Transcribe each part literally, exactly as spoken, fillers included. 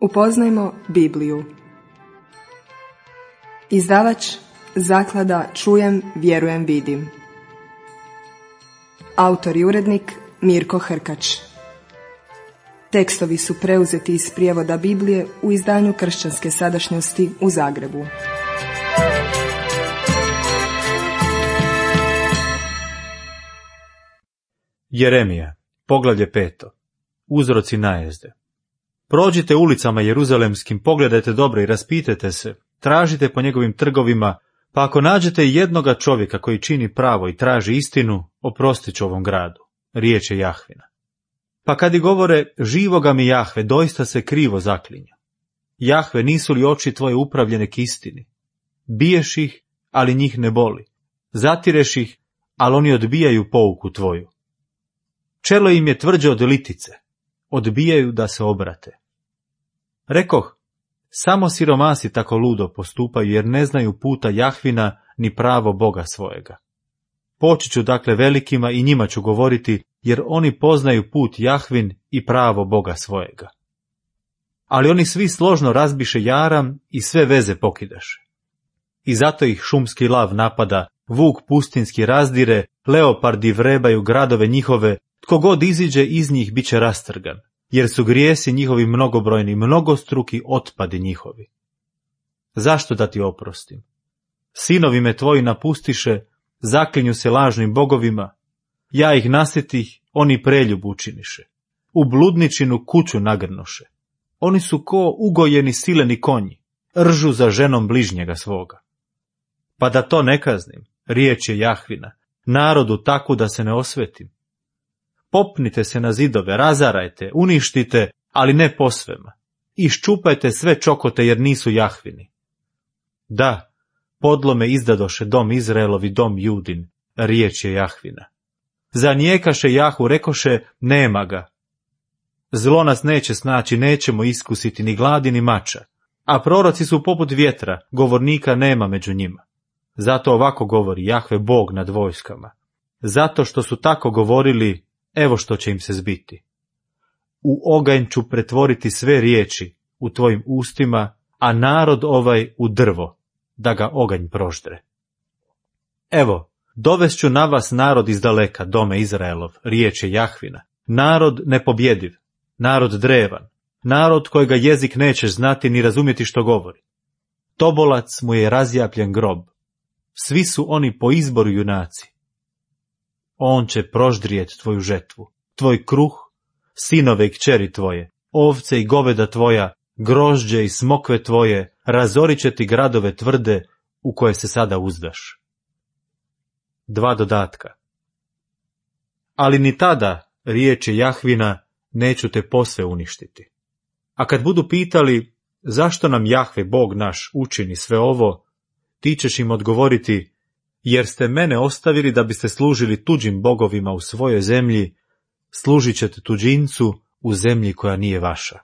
Upoznajmo Bibliju. Izdavač Zaklada Čujem, vjerujem, vidim. Autor i urednik Mirko Hrkač. Tekstovi su preuzeti iz prijevoda Biblije u izdanju Kršćanske sadašnjosti u Zagrebu. Jeremija, poglavlje peto. Uzroci najezde. Prođite ulicama jeruzalemskim, pogledajte dobro i raspitajte se, tražite po njegovim trgovima, pa ako nađete jednoga čovjeka koji čini pravo i traži istinu, oprostit ću ovom gradu. Riječ je Jahvina. Pa kad i govore, živoga mi Jahve, doista se krivo zaklinju. Jahve, nisu li oči tvoje upravljene k istini? Biješ ih, ali njih ne boli. Zatireš ih, ali oni odbijaju pouku tvoju. Čelo im je tvrđe od litice, odbijaju da se obrate. Rekoh, samo siromasi tako ludo postupaju, jer ne znaju puta Jahvina ni pravo Boga svojega. Poći ću dakle velikima i njima ću govoriti, jer oni poznaju put Jahvin i pravo Boga svojega. Ali oni svi složno razbiše jaram i sve veze pokidaše. I zato ih šumski lav napada, vuk pustinski razdire, leopardi vrebaju gradove njihove, tko god iziđe iz njih bit će rastrgan, jer su grijesi njihovi mnogobrojni, mnogostruki otpadi njihovi. Zašto da ti oprostim? Sinovi me tvoji napustiše, zaklinju se lažnim bogovima, ja ih nasjetih, oni preljub učiniše. U bludničinu kuću nagrnuše. Oni su ko ugojeni sileni konji, ržu za ženom bližnjega svoga. Pa da to ne kaznim, riječ je Jahvina, narodu taku da se ne osvetim. Popnite se na zidove, razarajte, uništite, ali ne posvema. Iščupajte sve čokote jer nisu Jahvini. Da, podlome izdadoše dom Izraelovi, dom Judin, riječ je Jahvina. Zanijekaše Jahu, rekoše, nema ga. Zlo nas neće snaći, nećemo iskusiti ni gladi ni mača, a proroci su poput vjetra, govornika nema među njima. Zato ovako govori Jahve, Bog nad vojskama. Zato što su tako govorili, evo što će im se zbiti. U oganj ću pretvoriti sve riječi u tvojim ustima, a narod ovaj u drvo, da ga oganj proždre. Evo, dovest ću na vas narod iz daleka, dome Izraelov, riječ je Jahvina, narod nepobjediv, narod drevan, narod kojega jezik nećeš znati ni razumjeti što govori. Tobolac mu je razjapljen grob, svi su oni po izboru junaci. On će proždrijet tvoju žetvu, tvoj kruh, sinove i kćeri tvoje, ovce i goveda tvoja, grožđe i smokve tvoje, razorit će ti gradove tvrde u koje se sada uzdaš. Dva dodatka. Ali ni tada, riječ je Jahvina, neću te posve uništiti. A kad budu pitali, zašto nam Jahve, Bog naš, učini sve ovo, ti ćeš im odgovoriti, jer ste mene ostavili da biste služili tuđim bogovima u svojoj zemlji, služit ćete tuđincu u zemlji koja nije vaša.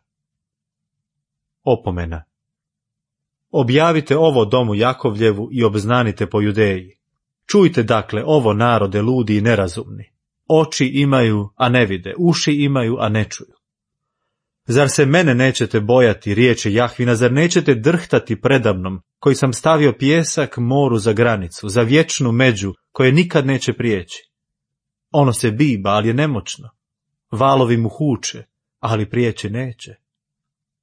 Opomena. Objavite ovo domu Jakovljevu i obznanite po Judeji. Čujte dakle ovo narode ludi i nerazumni. Oči imaju, a ne vide, uši imaju, a ne čuju. Zar se mene nećete bojati, riječi Jahvina, zar nećete drhtati predamnom, koji sam stavio pjesak moru za granicu, za vječnu među, koje nikad neće prijeći? Ono se biba, ali je nemoćno. Valovi mu huče, ali prijeći neće.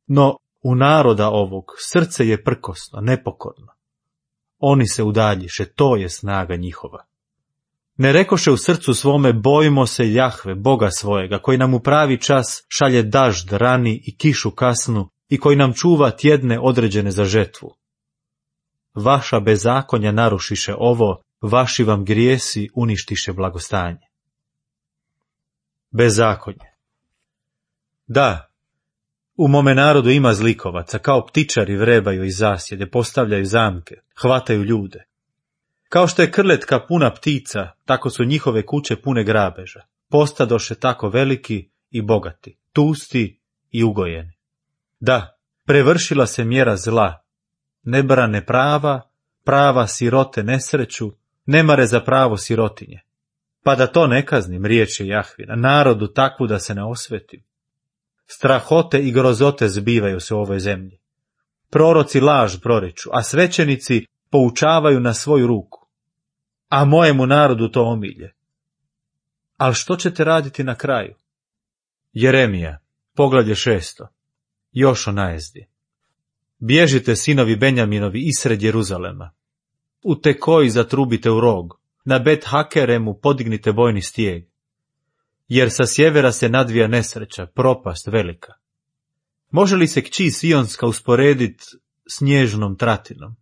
No, u naroda ovog srce je prkosno, nepokorno. Oni se udaljiše, to je snaga njihova. Ne rekoše u srcu svome, bojimo se Jahve, Boga svojega, koji nam u pravi čas šalje dažd rani i kišu kasnu i koji nam čuva tjedne određene za žetvu. Vaša bezakonja narušiše ovo, vaši vam grijesi uništiše blagostanje. Bezakonje. Da, u mome narodu ima zlikovaca, kao ptičari vrebaju iz zasjede, postavljaju zamke, hvataju ljude. Kao što je krletka puna ptica, tako su njihove kuće pune grabeža. Postadoše tako veliki i bogati, tusti i ugojeni. Da, prevršila se mjera zla. Ne brane prava, prava sirote nesreću, ne mare za pravo sirotinje. Pa da to ne kaznim, riječ je Jahvina, narodu takvu da se ne osvetim. Strahote i grozote zbivaju se u ovoj zemlji. Proroci laž proriču, a svećenici poučavaju na svoju ruku. A mojemu narodu to omilje. Ali što ćete raditi na kraju? Jeremija, poglavlje šesto. Još o najezdi. Bježite, sinovi Benjaminovi, isred Jeruzalema. U Tekoji zatrubite u rog, na Bet Hakeremu podignite vojni stijeg. Jer sa sjevera se nadvija nesreća, propast velika. Može li se kći Sionska usporediti s nježnom tratinom?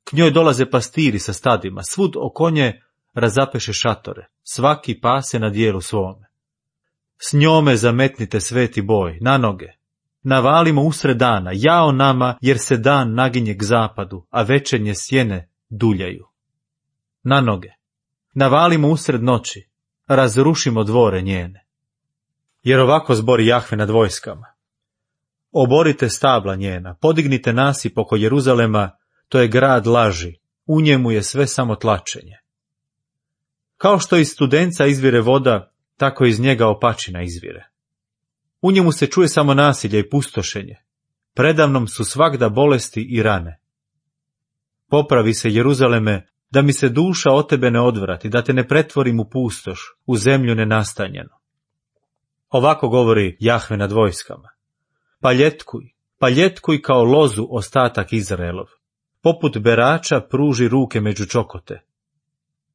K njoj dolaze pastiri sa stadima, svud oko nje razapeše šatore, svaki pase na dijelu svome. S njome zametnite sveti boj, na noge. Navalimo usred dana, jao nama, jer se dan naginje k zapadu, a večernje sjene duljaju. Na noge. Navalimo usred noći, razrušimo dvore njene. Jer ovako zbori Jahve nad vojskama. Oborite stabla njena, podignite nasip oko Jeruzalema, to je grad laži, u njemu je sve samo tlačenje. Kao što iz studenca izvire voda, tako iz njega opačina izvire. U njemu se čuje samo nasilje i pustošenje. Predamnom su svagda bolesti i rane. Popravi se, Jeruzaleme, da mi se duša od tebe ne odvrati, da te ne pretvorim u pustoš, u zemlju nenastanjenu. Ovako govori Jahve nad vojskama. Paljetkuj, paljetkuj kao lozu ostatak Izraelov. Poput berača pruži ruke među čokote.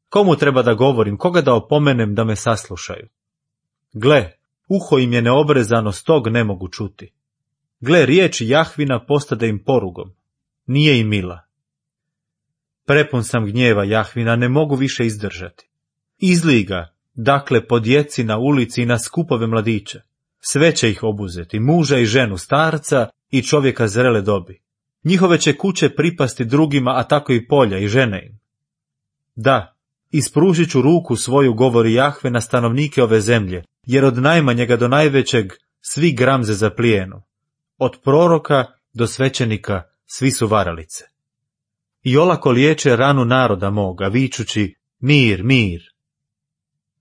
Komu treba da govorim, koga da opomenem da me saslušaju? Gle, uho im je neobrezano, stog ne mogu čuti. Gle, riječ Jahvina postade im porugom. Nije im mila. Prepun sam gnjeva Jahvina, ne mogu više izdržati. Izlij ga, dakle, po djeci na ulici i na skupove mladića. Sve će ih obuzeti, muža i ženu, starca i čovjeka zrele dobi. Njihove će kuće pripasti drugima, a tako i polja i žene im. Da, ispružit ću ruku svoju, govori Jahve, na stanovnike ove zemlje, jer od najmanjega do najvećeg svi gramze za plijenu. Od proroka do svećenika svi su varalice. I olako liječe ranu naroda moga, vičući mir, mir.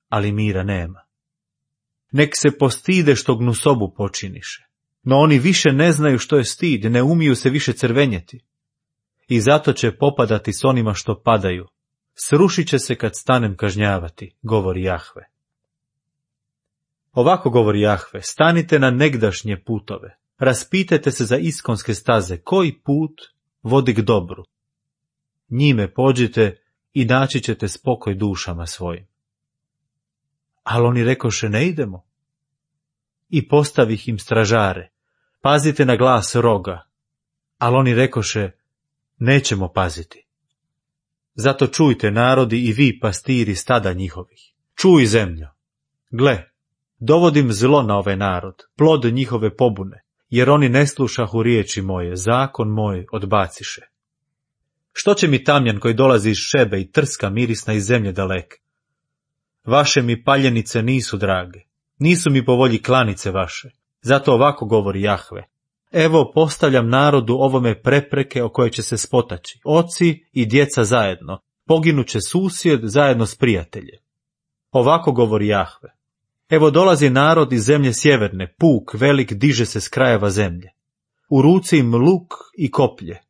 Ali mira nema. Nek se postide što gnusobu počiniše. No oni više ne znaju što je stid, ne umiju se više crvenjeti. I zato će popadati s onima što padaju. Srušit će se kad stanem kažnjavati, govori Jahve. Ovako govori Jahve, stanite na negdašnje putove, raspitajte se za iskonske staze, koji put vodi k dobru. Njime pođite i naći ćete spokoj dušama svojim. Ali oni rekoše, ne idemo. I postavih im stražare, pazite na glas roga. Ali oni rekoše, nećemo paziti. Zato čujte, narodi, i vi, pastiri stada njihovih. Čuj, zemljo. Gle, dovodim zlo na ovaj narod, plod njihove pobune, jer oni ne slušahu riječi moje, zakon moj odbaciše. Što će mi tamjan koji dolazi iz Šebe i trska mirisna iz zemlje daleke? Vaše mi paljenice nisu drage, nisu mi po volji klanice vaše, zato ovako govori Jahve. Evo postavljam narodu ovome prepreke o koje će se spotaći, oci i djeca zajedno, poginuće susjed zajedno s prijateljem. Ovako govori Jahve. Evo dolazi narod iz zemlje sjeverne, puk velik diže se s krajeva zemlje. U ruci im luk i koplje.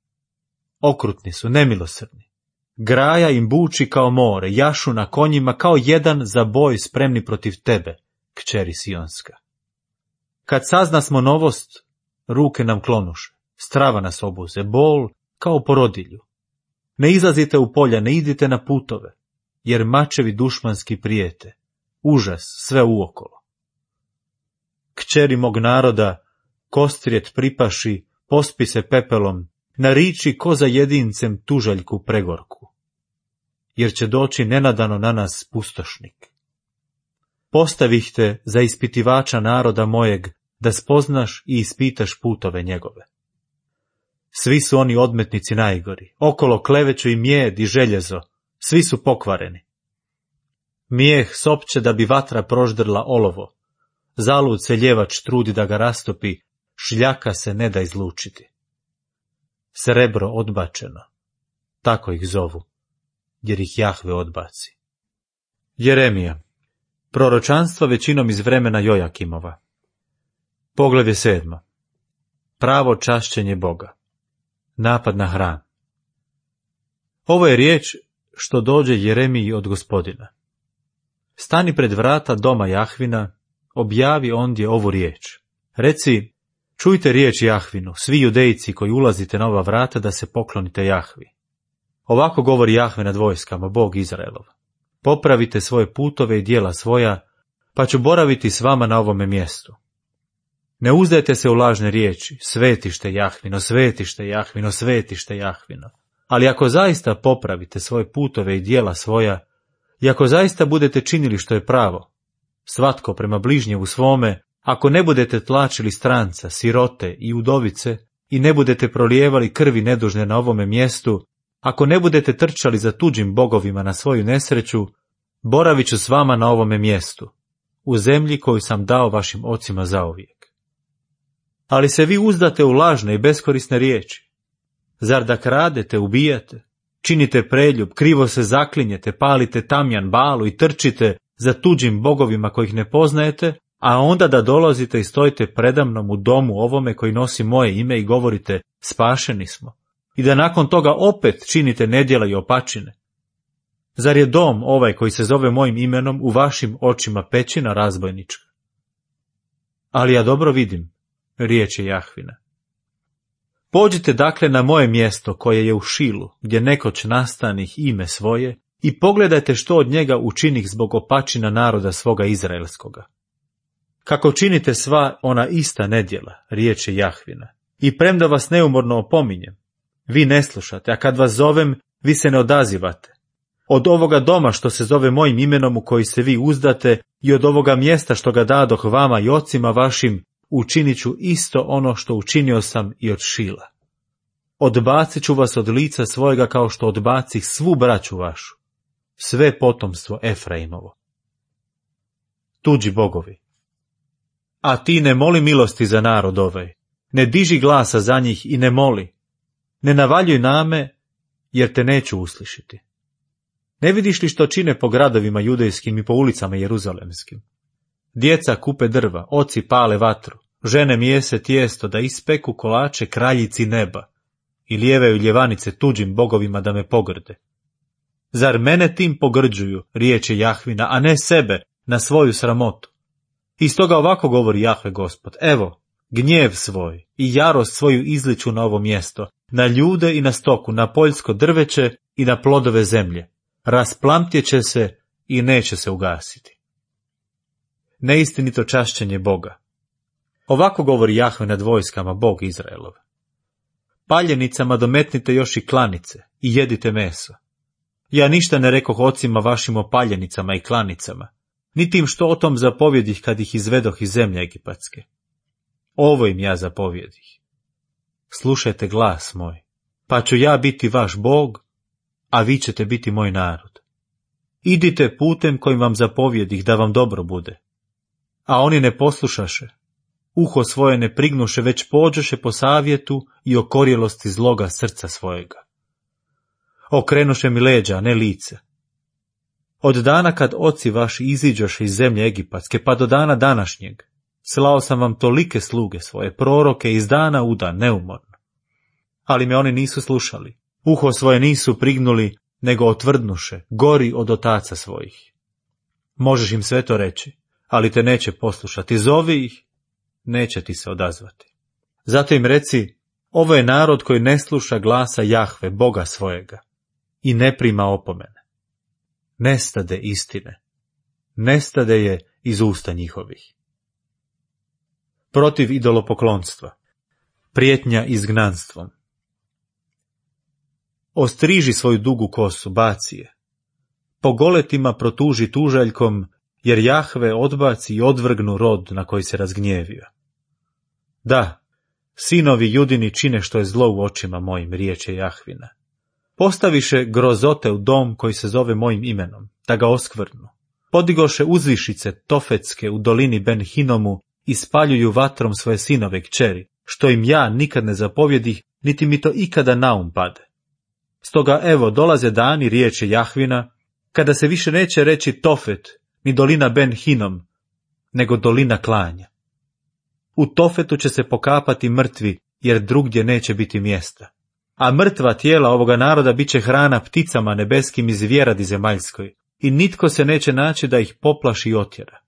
Okrutni su, nemilosrdni. Graja im buči kao more, jašu na konjima kao jedan za boj spremni protiv tebe, kćeri Sionska. Kad saznasmo novost, ruke nam klonuše, strava nas obuze, bol kao porodilju. Ne izlazite u polja, ne idite na putove, jer mačevi dušmanski prijete, užas sve uokolo. Kćeri mog naroda, kostrijet pripaši, pospi se pepelom, nariči ko za jedincem tužaljku pregorku, jer će doći nenadano na nas pustošnik. Postavih te za ispitivača naroda mojeg, da spoznaš i ispitaš putove njegove. Svi su oni odmetnici najgori, okolo kleveću i mjed i željezo, svi su pokvareni. Mijeh sopće da bi vatra proždrla olovo, zalud se ljevač trudi da ga rastopi, šljaka se ne da izlučiti. Srebro odbačeno, tako ih zovu, jer ih Jahve odbaci. Jeremija, proročanstvo većinom iz vremena Jojakimova. Poglavlje sedmo. Pravo čašćenje Boga. Napad na hram. Ovo je riječ što dođe Jeremiji od Gospodina. Stani pred vrata doma Jahvina, objavi ondje ovu riječ. Reci, čujte riječ Jahvinu, svi judejci koji ulazite na ova vrata, da se poklonite Jahvi. Ovako govori Jahve nad vojskama, Bog Izraelov. Popravite svoje putove i djela svoja, pa ću boraviti s vama na ovome mjestu. Ne uzdajte se u lažne riječi, svetište Jahvino, svetište Jahvino, svetište Jahvino. Ali ako zaista popravite svoje putove i djela svoja, i ako zaista budete činili što je pravo, svatko prema bližnjevu svome, ako ne budete tlačili stranca, sirote i udovice, i ne budete prolijevali krvi nedužne na ovome mjestu, ako ne budete trčali za tuđim bogovima na svoju nesreću, boravit ću s vama na ovome mjestu, u zemlji koju sam dao vašim ocima zauvijek. Ali se vi uzdate u lažne i beskorisne riječi. Zar da kradete, ubijate, činite preljub, krivo se zaklinjete, palite tamjan, balu i trčite za tuđim bogovima kojih ne poznajete, a onda da dolazite i stojite predamnom u domu ovome koji nosi moje ime i govorite, spašeni smo, i da nakon toga opet činite nedjela i opačine. Zar je dom ovaj koji se zove mojim imenom u vašim očima pećina razbojnička? Ali ja dobro vidim, riječ je Jahvina. Pođite dakle na moje mjesto koje je u Šilu, gdje nekoć nastanih ime svoje, i pogledajte što od njega učinih zbog opačina naroda svoga izraelskoga. Kako činite sva ona ista nedjela, riječ je Jahvina, i premda vas neumorno opominjem, vi ne slušate, a kad vas zovem, vi se ne odazivate. Od ovoga doma što se zove mojim imenom u koji se vi uzdate i od ovoga mjesta što ga dadoh vama i ocima vašim, učinit ću isto ono što učinio sam i od Šila. Odbacit ću vas od lica svojega kao što odbacih svu braću vašu, sve potomstvo Efraimovo. Tuđi bogovi. A ti ne moli milosti za narod ovaj, ne diži glasa za njih i ne moli, ne navaljuj name, jer te neću uslišiti. Ne vidiš li što čine po gradovima judejskim i po ulicama jeruzalemskim? Djeca kupe drva, oci pale vatru, žene mijese tijesto da ispeku kolače kraljici neba i lijevaju ljevanice tuđim bogovima da me pogrde. Zar mene tim pogrđuju, riječ je Jahvina, a ne sebe na svoju sramotu? I stoga ovako govori Jahve Gospod, evo, gnjev svoj i jarost svoju izliču na ovo mjesto, na ljude i na stoku, na poljsko drveće i na plodove zemlje. Rasplamtjeće se i neće se ugasiti. Neistinito čašćenje Boga. Ovako govori Jahve nad vojskama, Bog Izraelov. Paljenicama dometnite još i klanice i jedite meso. Ja ništa ne rekoh ocima vašim o paljenicama i klanicama, niti im što o tom zapovjedih kad ih izvedoh iz zemlje egipatske. Ovo im ja zapovjedih. Slušajte glas moj, pa ću ja biti vaš Bog, a vi ćete biti moj narod. Idite putem kojim vam zapovjedih da vam dobro bude. A oni ne poslušaše, uho svoje ne prignuše, već pođoše po savjetu i okorjelosti zloga srca svojega. Okrenuše mi leđa, a ne lice. Od dana kad oci vaši iziđoše iz zemlje egipatske, pa do dana današnjeg, slao sam vam tolike sluge svoje, proroke iz dana u dan, neumorno. Ali me oni nisu slušali, uho svoje nisu prignuli, nego otvrdnuše, gori od otaca svojih. Možeš im sve to reći, ali te neće poslušati, zovi ih, neće ti se odazvati. Zato im reci, ovo je narod koji ne sluša glasa Jahve, Boga svojega, i ne prima opomene. Nestade istine, nestade je iz usta njihovih. Protiv idolopoklonstva, prijetnja izgnanstvom. Ostriži svoju dugu kosu, baci je. Po goletima protuži tužaljkom, jer Jahve odbaci i odvrgnu rod na koji se razgnjevio. Da, sinovi Judini čine što je zlo u očima mojim, riječ je Jahvina. Postaviše grozote u dom koji se zove mojim imenom, da ga oskvrnu. Podigoše uzvišice tofetske u dolini Ben Hinomu i spaljuju vatrom svoje sinove kćeri, što im ja nikad ne zapovjedih, niti mi to ikada na um pade. Stoga evo dolaze dani, riječ je Jahvina, kada se više neće reći Tofet, ni dolina Ben Hinom, nego dolina klanja. U Tofetu će se pokapati mrtvi, jer drugdje neće biti mjesta. A mrtva tijela ovoga naroda bit će hrana pticama nebeskim i zvjeradi zemaljskoj, i nitko se neće naći da ih poplaši i otjera.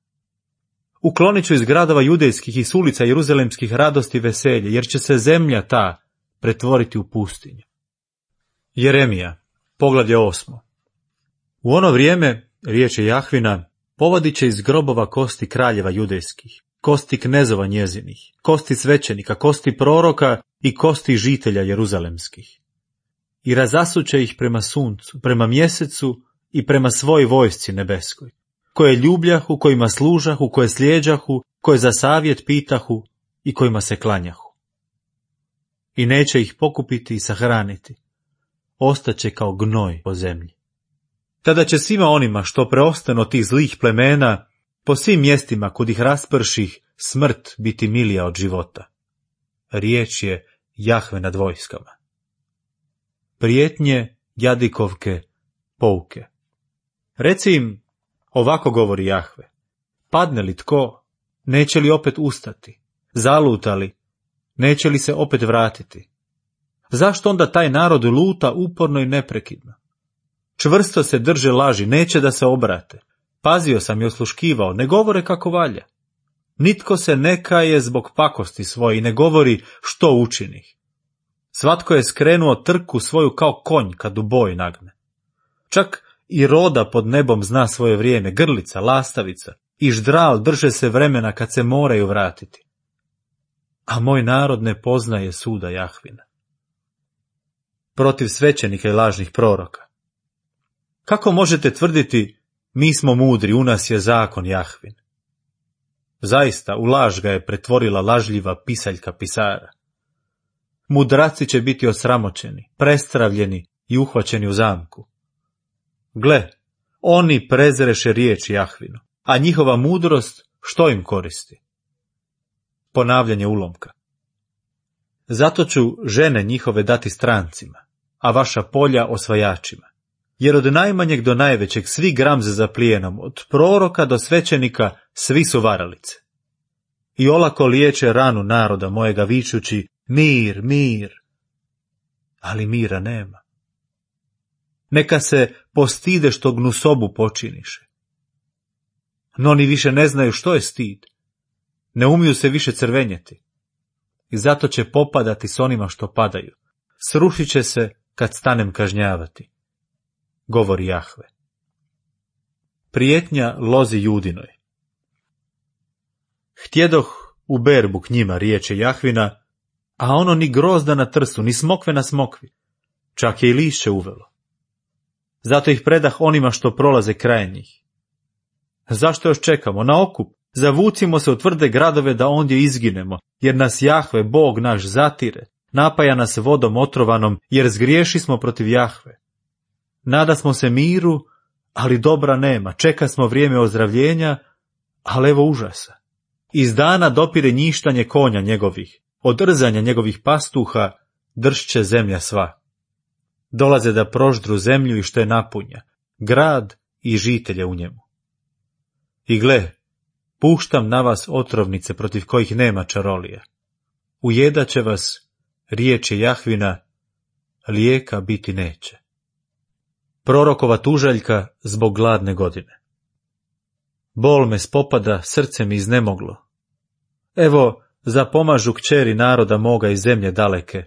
Uklonit ću iz gradova judejskih i s ulica jeruzalemskih radosti i veselje, jer će se zemlja ta pretvoriti u pustinju. Jeremija, poglavlje osmo. U ono vrijeme, riječ je Jahvina, povadit će iz grobova kosti kraljeva judejskih, kosti knezova njezinih, kosti svećenika, kosti proroka i kosti žitelja jeruzalemskih. I razasuće ih prema suncu, prema mjesecu i prema svoj vojsci nebeskoj, koje ljubljahu, kojima služahu, koje slijeđahu, koje za savjet pitahu i kojima se klanjahu. I neće ih pokupiti i sahraniti, ostaće kao gnoj po zemlji. Tada će svima onima što preostanu od tih zlih plemena, po svim mjestima kud ih rasprših, smrt biti milija od života. Riječ je Jahve nad vojskama. Prijetnje, jadikovke, pouke. Reci im, ovako govori Jahve, padne li tko, neće li opet ustati, zaluta li, neće li se opet vratiti? Zašto onda taj narod luta uporno i neprekidno? Čvrsto se drže laži, neće da se obrate. Pazio sam i osluškivao, ne govore kako valja. Nitko se ne kaje zbog pakosti svoje i ne govori što učinih. Svatko je skrenuo trku svoju kao konj kad u boj nagne. Čak i roda pod nebom zna svoje vrijeme, grlica, lastavica i ždral drže se vremena kad se moraju vratiti. A moj narod ne poznaje suda Jahvina. Protiv svećenika i lažnih proroka. Kako možete tvrditi, mi smo mudri, u nas je zakon Jahvin? Zaista, u laž ga je pretvorila lažljiva pisaljka pisara. Mudraci će biti osramoćeni, prestravljeni i uhvaćeni u zamku. Gle, oni prezreše riječ Jahvinu, a njihova mudrost što im koristi? Ponavljanje ulomka. Zato ću žene njihove dati strancima, a vaša polja osvajačima. Jer od najmanjeg do najvećeg svi gramze za plijenom, od proroka do svećenika svi su varalice. I olako liječe ranu naroda mojega vičući mir, mir, ali mira nema. Neka se postide što gnusobu počiniše. No oni više ne znaju što je stid, ne umiju se više crvenjeti. I zato će popadati s onima što padaju, srušit će se kad stanem kažnjavati, govori Jahve. Prijetnja lozi Judinoj. Htjedoh u berbu k njima, riječe Jahvina, a ono ni grozda na trsu, ni smokve na smokvi, čak je i lišće uvelo. Zato ih predah onima što prolaze kraj njih. Zašto još čekamo? Na okup, zavucimo se u tvrde gradove da ondje izginemo, jer nas Jahve, Bog naš, zatire, napaja nas vodom otrovanom, jer zgriješi smo protiv Jahve. Nada smo se miru, ali dobra nema, čeka smo vrijeme ozdravljenja, ali evo užasa. Iz dana dopire njištanje konja njegovih, od rzanja njegovih pastuha dršće zemlja sva. Dolaze da proždru zemlju i što je napunja, grad i žitelje u njemu. I gle, puštam na vas otrovnice protiv kojih nema čarolija. Ujedaće vas, riječi Jahvina, lijeka biti neće. Prorokova tužaljka zbog gladne godine. Bol me spopada, srce mi iznemoglo. Evo, zapomažu kćeri naroda moga iz zemlje daleke.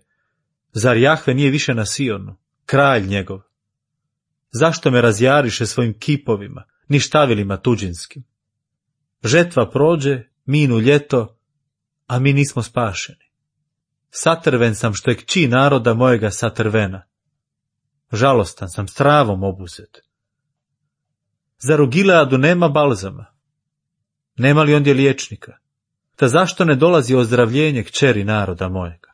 Zar Jahve nije više na Sionu, kralj njegov? Zašto me razjariše svojim kipovima, ni štavilima tuđinskim? Žetva prođe, minu ljeto, a mi nismo spašeni. Satrven sam što je kći naroda mojega satrvena. Žalostan sam, s travom obuzet. Zar u Gileadu nema balzama? Nema li ondje liječnika? Ta zašto ne dolazi ozdravljenje kćeri naroda mojega?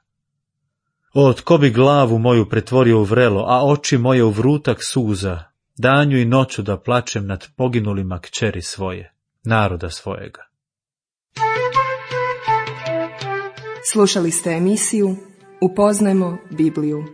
O, tko bi glavu moju pretvorio u vrelo, a oči moje u vrutak suza, danju i noću da plačem nad poginulima kćeri svoje, naroda svojega. Slušali ste emisiju Upoznajmo Bibliju.